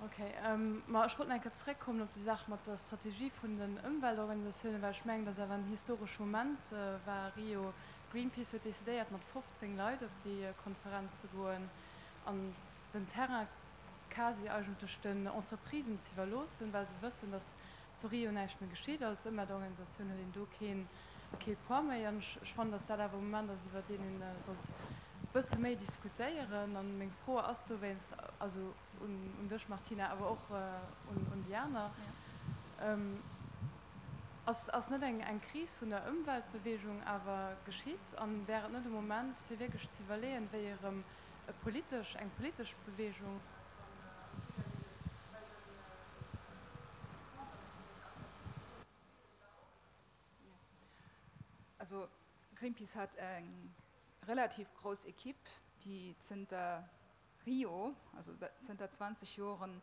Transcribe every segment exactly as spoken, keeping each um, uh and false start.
Ok, ma ech wollt nach eng Kéier zréckkommen op déi Saach mat der Strategie vun den Ëmweltorganisatiounen, well ech mengen, dass awer en historesche Moment war Rio. Greenpeace huet decidéiert, mat fofzéng Leit op déi Konferenz ze goen an den Terrain quasi eigentlech den Entreprisen ze iwwerloossen, well se wëssen, dass zu Rio näischt méi geschitt. Als Ëmweltorganisatioun huet een do keen kee Poids méi. An ech fannen, dass dat awer e Moment ass, iwwer deen een sollt e bësse méi diskutéieren. An meng Fro ass dowéinst, also un un dech Martina, awer och un un déi aner, Ass ass net eng eng Kris vun der Ëmweltbewegung awer geschitt? An wär et net e Moment, fir wierklech ze iwwerleeën, wéi erëm e politesch eng politesch Bewegung kann an d'Weeër leeden, well den Also Greenpeace hat eng relativ grouss Equipe, déi zënter Rio, also zënter zwanzeg Joren,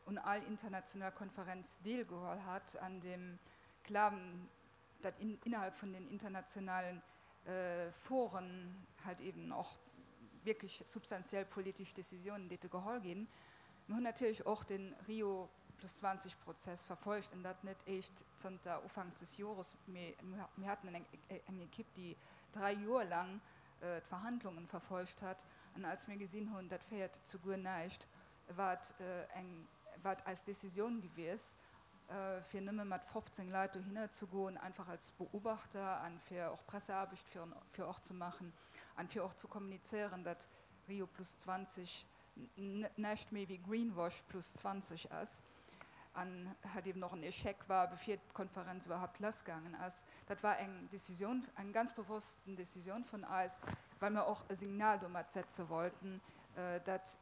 un all internationaler Konferenz deelgeholl hat, an dem Glawen, datt innerhalb vun den internationalen Foren halt eben och wierklech substantiell politesch Décisionen déite geholl ginn. Mir hunn natierlech och de Rio plus zwanzeg Prozess verfolgt, an dat net éischt zënter ufanks des Jores, mee mir haten eng Equipe, déi dräi Joer laang d'Verhandlungen verfolgt hat. An als mir gesinn hunn, dat féiert zu guer näischt, war et eng, war et eis Décisioun gewies, fir nëmme mat fofzéng Leit dohinner ze goen, einfach als Beobachter an fir och Presseaarbecht fir fir och ze maachen an fir och ze kommunizéieren, datt Rio plus zwanzeg näischt méi wéi Greenwash plus zwanzeg ass an halt eben och en Échec war, bevir d'Konferenz iwwerhaupt lassgaangen ass. Dat war eng Décisioun, eng ganz bewossten Décisioun vun eis, well mer och e Signal domat setze wollten, datt,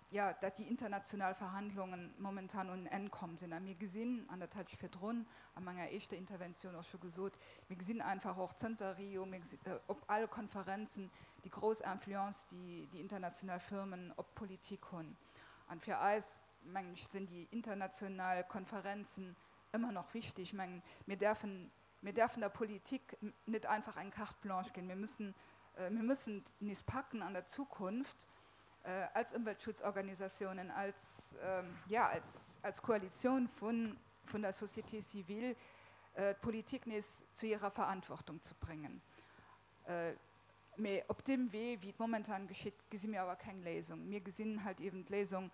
jo, datt déi international Verhandlungen momentan un en Enn komm sinn. A mir gesinn, an dat hat ech virdrun a menger éischter Interventioun och scho gesot, mir gesinn einfach och zënter Rio, mir gesi op alle Konferenzen déi grouss Influence, déi déi international Firmen op d'Politik hunn. An fir eis, mengen ech, sinn déi international Konferenzen ëmmer nach wichtig. Ech mengen, mir däerfen, mir däerfen der Politik net einfach eng Carte blanche ginn. Mir müssen, mir müssen nees packen an der Zukunft als Ëmweltschutzorganisatiounen, als, jo, als, als Koalitioun vun, vun der Société civile, d'Politik nees zu hirer Verantwortung ze bréngen. Mee op deem Wee, wéi et momentan geschitt, gesi mir awer keng Léisung. Mir gesinn halt eben d'Léisung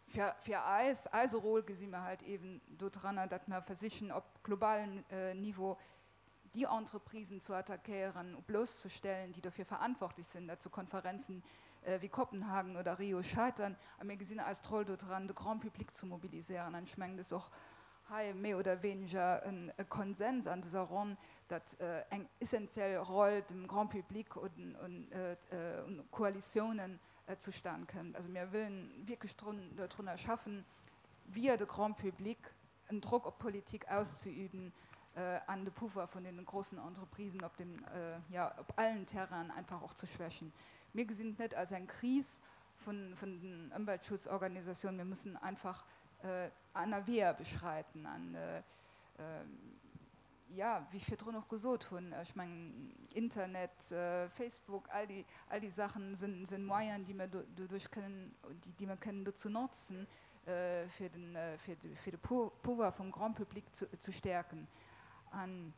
fir, fir eis, eise Rôle gesi mir halt eben dodranner, datt mer versichen, op globalem Niveau déi Entreprisen zu attackéieren, blosszestellen, déi dofir verantwortlech sinn, datt sou Konferenzen wéi Kopenhagen oder Rio scheitern. A mir gesinn eist Roll dodran, de Grand public ze mobiliséieren. An ech mengen, et ass och hei méi oder weniger e Konsens an dëser Ronn, datt eng essentiell Roll dem Grand public un Koalitiounen zustan kënnt. Also mir wëllen wierklech dodrunner schaffen, via de Grand public en Drock op d'Politik auszeüben an de Pouvoir vun deene grossen Entreprisen op dem, jo, op allen Terrainen einfach och ze schwächen. Mir gesinn et net als eng Kris vun den Ëmweltschutzorganisatiounen. Mir mussen einfach aner Weeër beschreiten. An, jo, wéi ech virdrun och gesot hunn, ech mengen, Internet, Facebook, all déi, all déi Saachen sinn, sinn Moyenen, déi mir doduerch kënnen, déi mir kënnen dozou notzen, fir den, fir de, fir de Pouvoir vum Grand public zu, zu stäerken. An,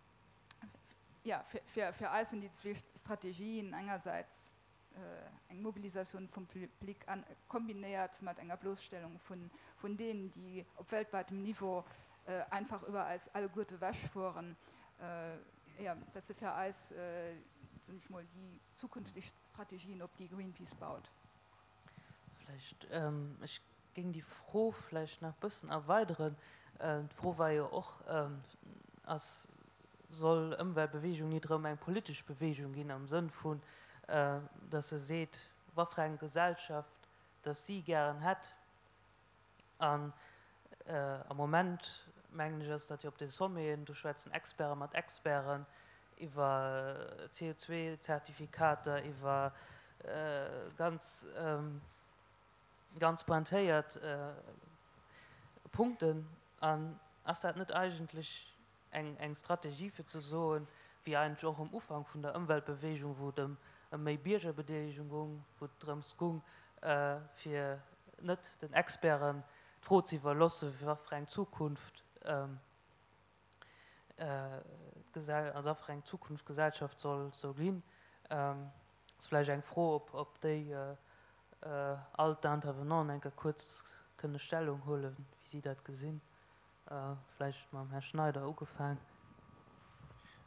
jo, fir, fir, fir eis sinn déi zwee Strategien engersäits eng Mobilisatioun vum Public an kombinéiert mat enger Bloosstellung vun, vun deenen, déi op weltwäitem Niveau einfach iwwer eis alleguerte ewechfueren. Jo, dat si fir eis, soen ech mol, déi zukünfteg Strategien, op déi Greenpeace baut. Vläicht, ech géing déi Fro vläicht nach e bëssen erweideren. D'Fro war jo och, ass, soll Ëmweltbewegung nit erëm eng politesch Bewegung ginn am Sënn vun, datt se seet, wat fir eng Gesellschaft datt si gären hätt. An am Moment, mengen ech, ass dat jo op de Sommeten, do schwätzen Experte mat Experten iwwer C O zwei Zertifikater, iwwer ganz, ganz pointéiert Punkten. An ass dat net eigentlech eng, eng Strategie fir ze soen, wéi eigentlech och um Ufank vun der Ëmweltbewegung, wou et ëm, ëm méi Biergerbedeelegung goung, wou et drëms goung, fir net den Experten d'Fro ze iwwerloosse wat fir eng Zukunft also wat fir eng Zukunft d'Gesellschaft soll soll ginn. Ass vläicht eng Fro ob ob déi all d'Intervenanten eng Kéier kuerz kënne Stellung huelen, wéi si dat gesinn. Vläicht mam Här Schneider ugefaang.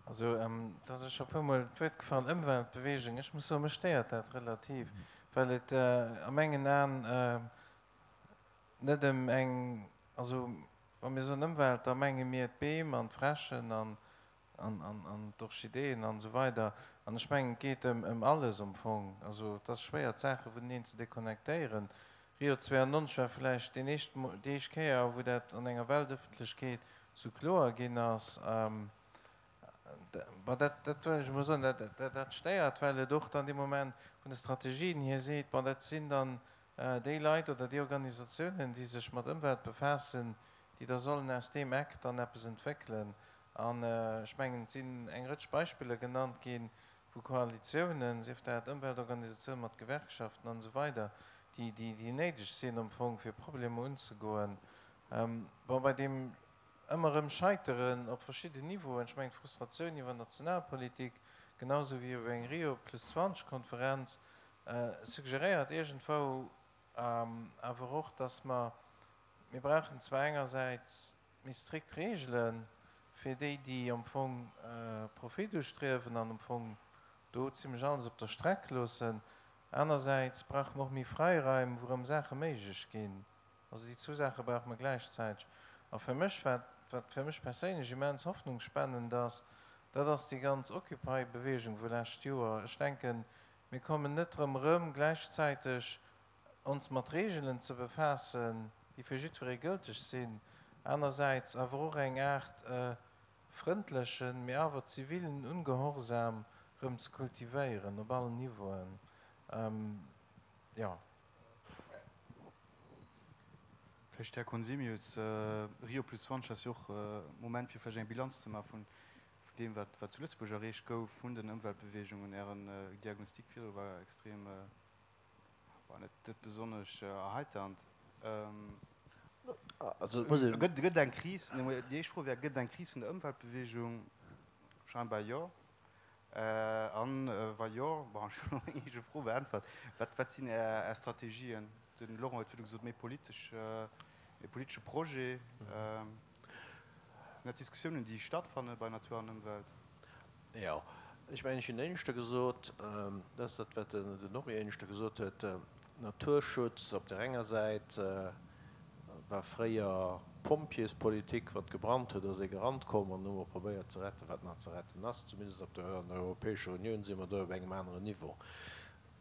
Also, et ass scho e puermol d'Wuert gefall, Ëmweltbewegung. Ech muss soen, mech stéiert dat relativ, well et a mengen Aen net ëm eng, also wa mir soen Ëmwelt, da menge mir d'Beem an d'Fräschen an d'Orchideeën an esou weider. An ech mengen, et geet ëm alles am Fong. Also et ass schwéier, d'Saache vuneneen ze deconnectéieren. Rio zweiundneunzeg war vläicht deen éischt, déi éischt Kéier, wou dat an enger Weltëffentlechkeet esou kloer ginn ass. Bon, dat, dat wëll ech emol soen, dat, dat, dat stéiert, well et och dann dee Moment vun de Strategien hier seet, bon, dat sinn dann déi Leit oder déi Organisatiounen, déi sech mat Ëmwelt befaassen, déi da sollen aus deem Eck dann eppes entwéckelen. An ech mengen, et sinn eng Rëtsch Beispiller genannt ginn, wou Koalitiounen, sief dat Ëmweltorganisatiounen mat Gewerkschaften an esou weider, déi, déi, déi néideg sinn am Fong, fir Problemer unzegoen. Bon, bei deem ëmmer erëm Scheiteren op verschidden Niveauen, ech mengen d'Frustratioun iwwer Nationalpolitik, genau sou wéi iwwer eng Rio plus zwanzeg Konferenz, suggeréiert iergendwou awer och, dass mer, mir brauchen zwar engersäits méi strikt Regele fir déi, déi am Fong Profit ustriewen an am Fong do zimlech alles op der Streck loossen, anersäits brauche mer och méi Fräiraim, wou erëm Saache méiglech ginn. Also déi zwou Saache brauche mer gläichzäiteg. A fir mech, wat, wat fir mech perséinlech immens hoffnungsspennend ass, dat ass déi ganz Occupy-Bewegung vu lescht Joer. Ech denken, mir kommen net drëm erëm, gläichzäiteg ons mat Regeln ze befaassen, déi fir jiddweree gëlteg sinn, anersäits awer och eng Aart frëndlechen, mee awer zivilen Ungehorsam erëm ze kultivéieren op allen Niveauen. Jo. Vläicht, Här Conzemius, Rio plus zwanzeg ass jo och e Moment, fir vläicht eng Bilanz ze maache vun deem, wat zu Lëtzebuerg erreecht gouf vun den Ëmweltbewegungen. Ären Diagnostic virdru war extrem, war net besonnesch erheiternd. Gëtt et eng Kris? Déi éischt Fro wär, Gëtt et eng Kris vun der Ëmweltbewegung? Scheinbar jo. An wa jo, bon, ech hunn elo meng eege Fro beäntwert, wat, wat sinn Är, Är Strategien? De Laurent huet virdu gesot, méi politesch, méi politesche Projet. Sinn dat Diskussiounen, déi stattfanne bei Natur an Ëmwelt? Jo, ech mengen, ech hunn éineschter gesot, dat ass dat, wat den Henri éineschter gesot huet, Naturschutz op där enger Säit war fréier Pompjeespolitik, wat gebrannt huet, ass ee gerannt komm an hu mer probéiert ze retten, wat nach ze retten ass. Zumindest op der an der Europäescher Unioun si mer do op engem aneren Niveau.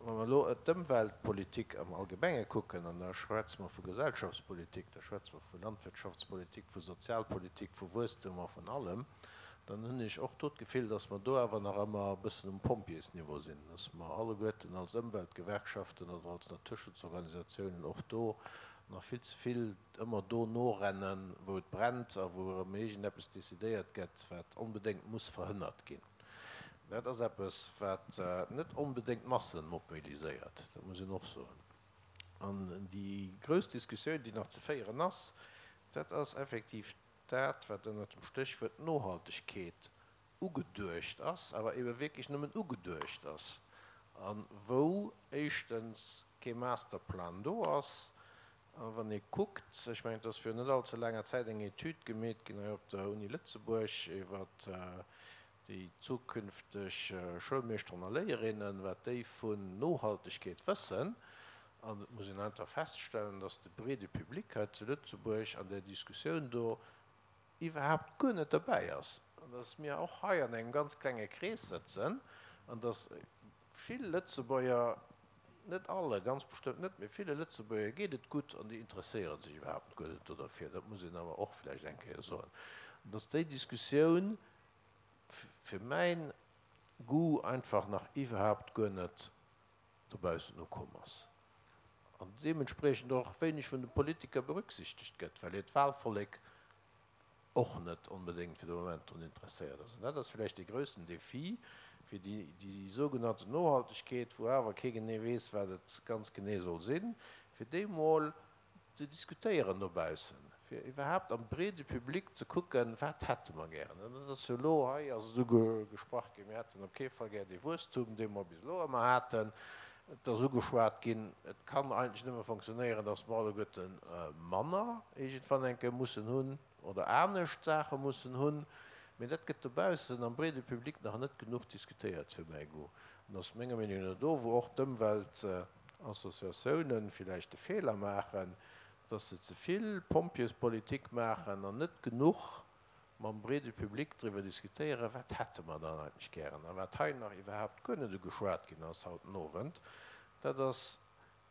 Wa mer elo d'Ëmweltpolitik am Allgemenge kucken, an da schwätze mer vu Gesellschaftspolitik, da schwätze mer vu Landwirtschaftspolitik, vu Sozialpolitik, vu Wuesstum a vun allem, dann hunn ech och do d'Gefill, dass mer do awer nach ëmmer e bëssen um Pompjeesniveau sinn, dass mer alleguerten als Ëmweltgewerkschaften oder als Naturschutzorganisatiounen och do nach vill ze vill ëmmer do norennen, wou et brennt a wou erëm iergendeppes decidéiert gëtt, wat onbedéngt muss verhënnert ginn. Dat ass eppes, wat net onbedéngt d'Massen mobiliséiert, dat muss een och soen. An déi grouss Diskussioun, déi nach ze féieren ass, dat ass effektiv dat, wat ënnert dem Stéchwuert Nohaltegkeet ugeduecht ass, awer ebe wierklech nëmmen ugeduecht ass, a wou éischtens kee Masterplan do ass. A wann ee kuckt, ech mengen, et ass virun net allze laanger Zäit eng Etüd gemeet ginn hei op der Uni Lëtzebuerg iwwert déi zukünfteg Schoulmeeschteren a Léierinnen, wat déi vun Nohaltegkeet wëssen. An et muss een einfach feststellen, dass de breede Public hei zu Lëtzebuerg an där Diskussioun do iwwerhaapt guer net derbäi ass an dass mir och hei an engem ganz klenge Krees sëtzen an dass vill Lëtzebuerger, net alle, ganz bestëmmt net, mee ville Lëtzebuerger geet et gutt an déi interesséiere sech iwwerhaapt guer net do derfir, dat muss een awer och vläicht eng Kéier soen, an dass déi Diskussioun fir mäin Goût einfach nach iwwerhaapt guer net dobaussen ukomm ass an deementspriechend och wéineg vun de Politiker berücksichtegt gëtt, well hiert Wahlvollek och net onbedéngt fir de Moment drun interesséiert ass. An dat ass vläicht dee groussen Défi fir déi, déi sougenannten Nohaltegkeet, wou awer kee genee weess, wat et ganz genee soll sinn, fir déi mol ze diskutéieren dobaussen, fir iwwerhaapt am breede Public ze kucken, wat hätte mer gären. An dat ass jo elo hei ass et ugesprach ginn, mir hätten op kee Fall gär dee Wuesstum, dee mer bis elo ëmmer haten. Et ass ugeschwat ginn, et kann eigentlech nëmme fonctionnéieren, datt mer alleguerte manner iergendwann eng Kéier mussen hunn oder anescht Saache mussen hunn. Mee dat gëtt dobaussen am breede Public nach net genuch diskutéiert, fir mäi Goût. An ass menger Meenung no do, wou och d'Ëmweltassociatiounen villäicht de Feeler maachen, dass se ze vill Pompjeespolitik maachen an net genuch mam breede Public driwwer diskutéieren, wat hätte mer dann eigentlech gären. A wat hei nach iwwerhaapt guer net ugeschwat ginn ass haut den Owend, dat ass,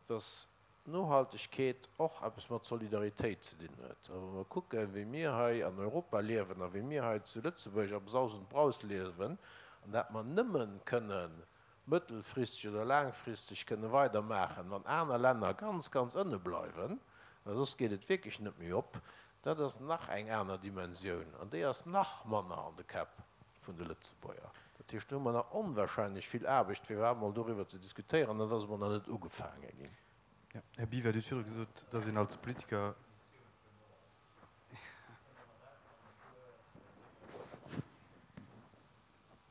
dass Nohaltegkeet och eppes mat Solidaritéit ze dinn huet. A wa mer kucken, wéi mir hei an Europa liewen a wéi mir hei zu Lëtzebuerg am Saus und Braus liewen, an dat mer nëmmen kënnen mëttelfristeg oder laangfristeg kënne weidermaachen, wann aner Länner ganz, ganz ënne bleiwen, well soss geet et wierklech net méi op, dat ass nach eng aner Dimensioun an déi ass nach manner an de Käpp vun de Lëtzebuerger. Dat heescht, do hu mer nach onwahrscheinlech vill Aarbecht, fir iwwerhaapt emol doriwwer ze diskutéieren, an dat ass emol nach net ugefaange ginn. Här Biwer, Dir hutt virdru gesot, dass een als Politiker.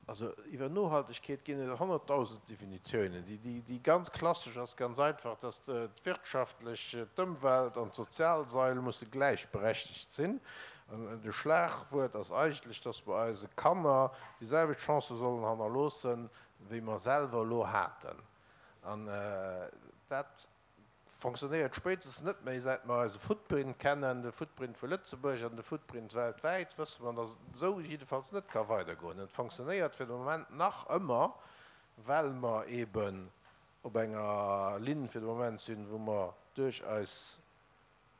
Also iwwer Nohaltegkeet ginn et honnertdausend Definitiounen. Déi ganz klassesch ass ganz einfach, dass d'wirtschaftlech, d'Ëmwelt an d'sozial Sail musse gläichberechtegt sinn. An de Schlagwuert ass eigentlech, dass mer eise Kanner déi selwecht Chancë sollen hannerloossen, wéi mer selwer elo haten. An dat fonctionnéiert spéitstens net méi, säit mer eise Footprint kennen, de Footprint vu Lëtzebuerg an de Footprint weltwäit, wësse mer, datt et esou jiddefalls net ka weidergoen. Et fonctionnéiert fir de Moment nach ëmmer, well mer eeben op enger Linn fir de Moment sinn, wou mer duerch eis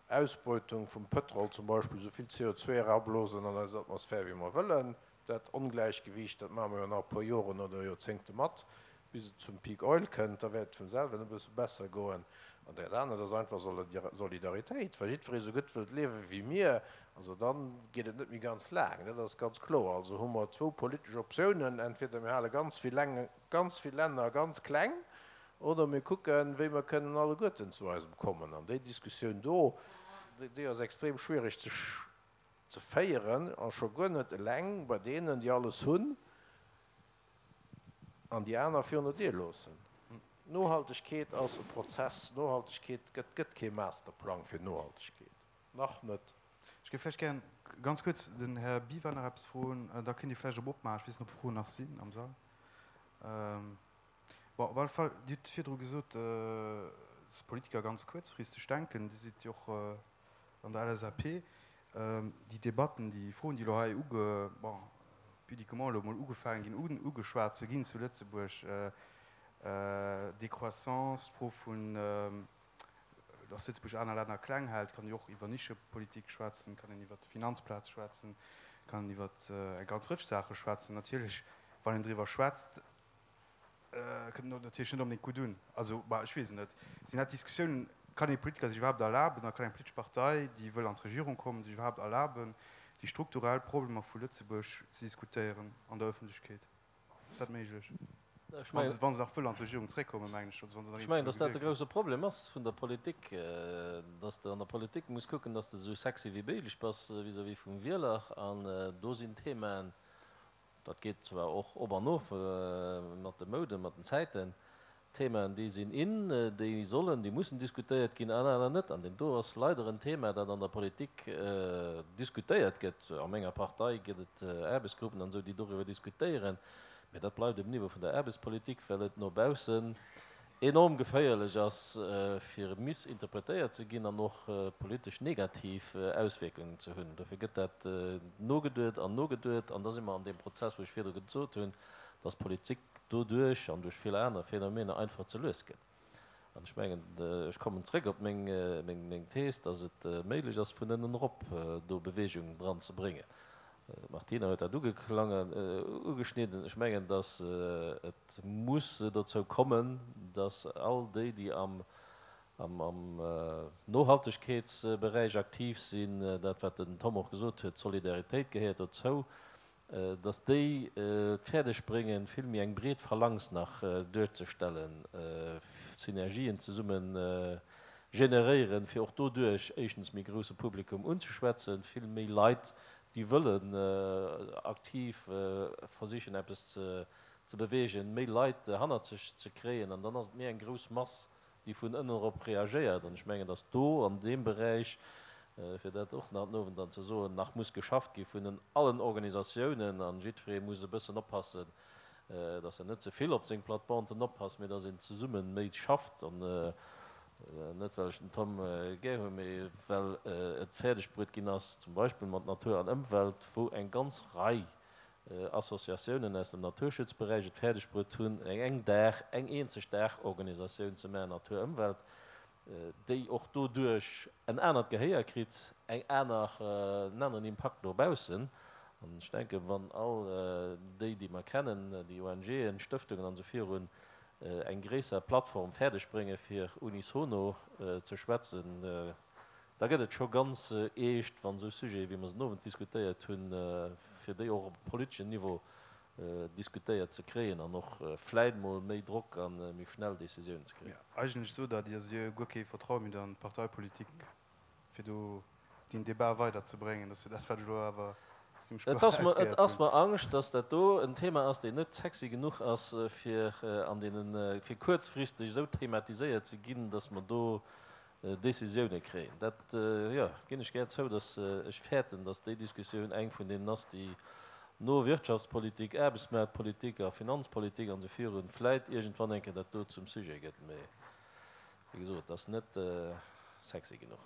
Ausbeutung vum Pëtrol zum Beispill esou vill C O zwei erablosen an eis Atmosphär, wéi mer wëllen. Dat Ongläichgewiicht, dat maache mer jo nach e puer Joren oder Joerzéngte mat, bis et zum Peak Oil kënnt, da wäert et vum selwen e bësse besser goen. An dat anert ass einfach Solidaritéit. Wa jiddweree esou gutt wëllt liewe wéi mir, also da geet et net méi ganz laang, dat ass ganz kloer. Also hu mer zwou politesch Optiounen, entweder mir hale ganz vill Länge, ganz vill Länner ganz kleng, oder mir kucken, wéi mer kënnen alleguerten zu eisem kommen. An déi Diskussioun do, déi ass extrem schwierig ze, ze féieren, a scho guer net eleng bei deenen, déi alles hunn, an déi aner virun der Dier loossen. Nohaltegkeet ass e Prozess. Nohaltegkeet gëtt, gëtt kee Masterplang fir Nohaltegkeet. Nach net. Ech géif vläicht gären ganz kuerz den Här Biwer nach eppes froen. Da kënnt Dir vläicht op opmaachen. Ech weess net, ob Froen nach sinn am Sall. Bon, op alle Fall, Dir hutt virdru gesot, dass Politiker ganz kuerzfristeg denken. Dir sidd jo och an der L S A P. Déi Debatten, déi Froen, déi elo hei uge-, bon, pudiquement elo mol ugefaangen ginn, un-, ugeschwat ze ginn zu Lëtzebuerg, Décroissance, d'Fro vun, dass Lëtzebuerg aner Länner kleng hält, kann een och iwwer Nischepolitik schwätzen, kann een iwwer d'Finanzplaz schwätzen, kann een iwwer eng ganz Rëtsch Saache schwätzen. Natierlech, wann een driwwer schwätzt, kënnt et natierlech net onbedéngt gutt un. Also, bah, ech weess et net. Sinn dat Diskussiounen, kann ee Politiker sech iwwerhaapt erlaben, oder kann eng politesch Partei, déi wëll an d'Regierung kommen, sech iwwerhaapt erlaben, déi strukturell Problemer vu Lëtzebuerg ze diskutéieren an der Öffentlichkeet? Ass dat méiglech? Ech Wann mengen se, wann se nach wëll an d'Regierung zréckkommen, mengen ech, also wann se nach Ech mengen, iergendwou dass dat de gewählt grousse Problem ass vun der Politik, dass de an der Politik muss kucken, dass de esou sexy wéi méiglech bass vis-à-vis vum Wieler. An do sinn Themen, dat geet zwar och op an of mat de Mouden, mat den Zäiten, Themen, déi sinn in, déi sollen, déi mussen diskutéiert ginn, an aner net. An den do ass leider en Thema, dat an der Politik diskutéiert gëtt. A menger Partei gëtt et Aarbechtsgruppen an esou, déi doriwwer diskutéieren. Mee dat bleift um Niveau vun der Aarbechtspolitik, well et no baussen enorm geféierlech ass, fir missinterpretéiert ze ginn an och politesch negativ Auswirkungen ze hunn. Dofir gëtt dat nogeduet an nogeduet, an da si mer an dem Prozess, wou ech virdru gesot hunn, dass Politik doduerch an duerch vill aner Phänomene einfach ze lues gëtt. An ech mengen, ech kommen zréck op meng, meng, meng Thees, dass et méiglech ass, vun ënnen erop do Bewegung dran ze bréngen. Martina huet dat ugeklangen, ugeschnidden. Ech mengen, dass et muss dozou kommen, dass all déi, déi am, am, am Nohaltegkeetsbereich aktiv sinn, dat wat den Tom och gesot huet, Solidaritéit gehéiert dozou, dass déi fäerdeg bréngen, vill méi eng breet Phalanx nach duerzestellen, Synergien zesummen generéieren, fir och doduerch éischtens méi grousse Publikum unzeschwätzen, vill méi Leit, déi wëllen aktiv versichen eppes ze beweegen, méi Leit hannert sech ze kréien an dann ass et méi eng grouss Mass, déi vun ënnen erop reagéiert. An ech mengen, datt do an deem Beräich, fir dat och nach den Owend dann ze soen, nach muss geschafft gi vun allen Organisatiounen an jiddweree muss e bëssen oppassen, datt en net ze vill op seng Platebanten oppasst, mee datt een zesumme méi schafft an net well ech den Tom gär hunn, mee well et fäerdeg bruet ginn ass, zum Beispill mat Natur an Ëmwelt, wou eng ganz Rei Associatiounen aus dem Naturschutzberäich et fäerdeg bruet hunn, eng Dag, eng eenzeg Daachorganisatioun ze maachen, Natur Ëmwelt, déi och doduerch en anert Gehéier kritt, eng aner, en aneren Impakt no baussen. An ech denken, wann all déi, déi mer kennen, déi ONGen, Stëftungen an esou virun, eng gréisser Plattform fäerdeg bréngen, fir unisono ze schwätzen, da gëtt et scho ganz eescht, wann esou Sujete, wéi mer se den Owend diskutéiert hunn, fir déi och op politeschem Niveau diskutéiert ze kréien an och vläit mol méi Drock a méi schnell Décisiounen ze kréien. Eigentlech sot Der, Dir hutt guer kee Vertraue méi an d'Parteipolitik, fir do deen Débat weiderzebréngen. Dat ass jo dat, wat ech elo awer zimmlech kloer Et ass mer, et erausgehéiert ass hunn. mer Angscht, dass dat do en Thema ass, deen net sexy genuch ass, fir an deenen, fir kuerzfristeg esou thematiséiert ze ginn, dass mer do Décisioune kréien. Dat, jo, ginn ech gär zou, dass ech fäerten, dass déi Diskussioun eng vun deenen ass, déi no Wirtschaftspolitik, Aarbechtsmaartpolitik a Finanzpolitik an esou virun vläit iergendwann eng Kéier dat do zum Sujet gëtt. Mee wéi gesot, et ass net sexy genuch.